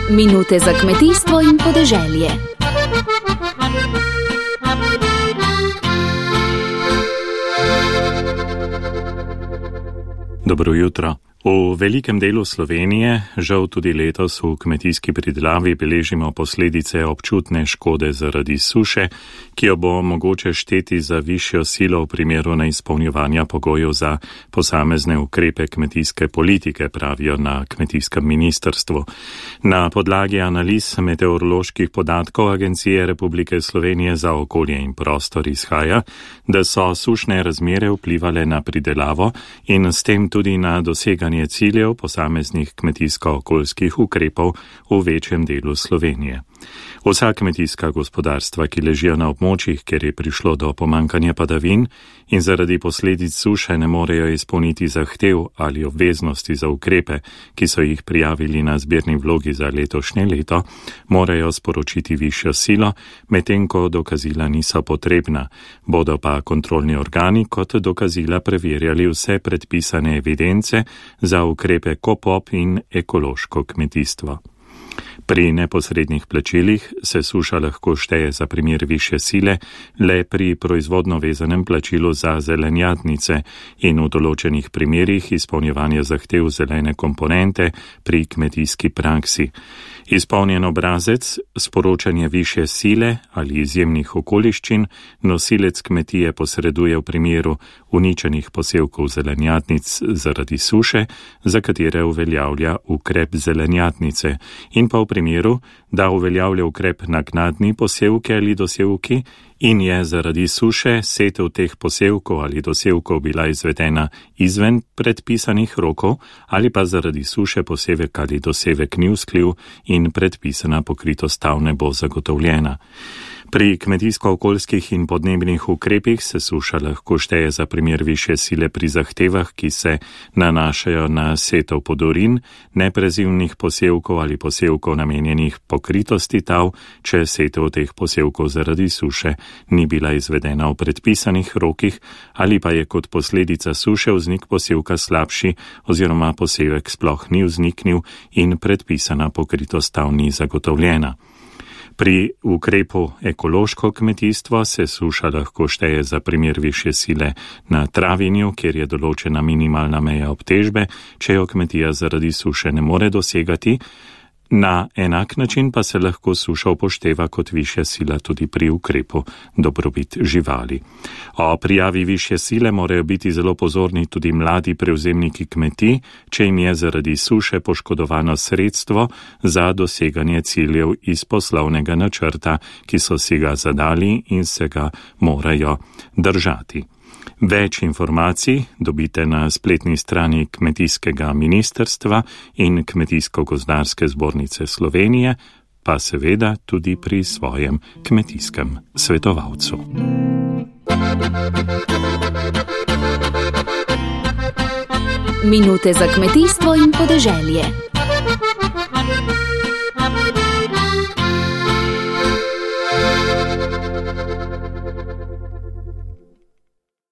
Minute za kmetijstvo in podeželje. Dobro jutro. V velikem delu Slovenije, žal tudi letos v kmetijski pridelavi beležimo posledice občutne škode zaradi suše, ki jo bo mogoče šteti za višjo silo v primeru neizpolnjevanja pogojev za posamezne ukrepe kmetijske politike, pravijo na kmetijskem ministrstvu. Na podlagi analiz meteoroloških podatkov Agencije Republike Slovenije za okolje in prostor izhaja, da so sušne razmere vplivale na pridelavo in s tem tudi na doseganje ciljev posameznih kmetijsko-okoljskih ukrepov v večjem delu Slovenije. Vsa kmetijska gospodarstva, ki ležijo na območjih, kjer je prišlo do pomankanja padavin in zaradi posledic suše ne morejo izpolniti zahtev ali obveznosti za ukrepe, ki so jih prijavili na zbirni vlogi za letošnje leto, morajo sporočiti višjo silo, medtem ko dokazila niso potrebna. Bodo pa kontrolni organi kot dokazila preverjali vse predpisane evidence za ukrepe KOPOP in ekološko kmetijstvo. Pri neposrednih plačilih se suša lahko šteje za primer višje sile le pri proizvodno vezanem plačilu za zelenjadnice in v določenih primerih izpolnjevanja zahtev zelene komponente pri kmetijski praksi. Izpolnjen obrazec, sporočanje višje sile ali izjemnih okoliščin nosilec kmetije posreduje v primeru uničenih posevkov zelenjadnic zaradi suše, za katere uveljavlja ukrep zelenjadnice, in pa v primeru, da uveljavlja ukrep naknadni posevke ali dosevki in je zaradi suše setev teh posevkov ali dosevkov bila izvedena izven predpisanih rokov ali pa zaradi suše posevek ali dosevek ni vzkljiv in predpisana pokritost tal ne bo zagotovljena. Pri kmetijsko-okoljskih in podnebnih ukrepih se suša lahko šteje za primer višje sile pri zahtevah, ki se nanašajo na setev podorin, neprezimnih posevkov ali posevkov namenjenih pokritosti tal, če setev teh posevkov zaradi suše ni bila izvedena v predpisanih rokih ali pa je kot posledica suše vznik posevka slabši oziroma posevek sploh ni vzniknil in predpisana pokritost tal ni zagotovljena. Pri ukrepu ekološko kmetijstvo se suša lahko šteje za primer višje sile na travinju, kjer je določena minimalna meja obtežbe, če jo kmetija zaradi suše ne more dosegati. Na enak način pa se lahko suša upošteva kot višja sila tudi pri ukrepu dobrobit živali. O prijavi višje sile morajo biti zelo pozorni tudi mladi prevzemniki kmetij, če jim je zaradi suše poškodovano sredstvo za doseganje ciljev iz poslovnega načrta, ki so si ga zadali in se ga morajo držati. Več informacij dobite na spletni strani Kmetijskega ministrstva in Kmetijsko-gozdarske zbornice Slovenije, pa seveda tudi pri svojem kmetijskem svetovalcu. Minute za kmetijstvo in podeželje.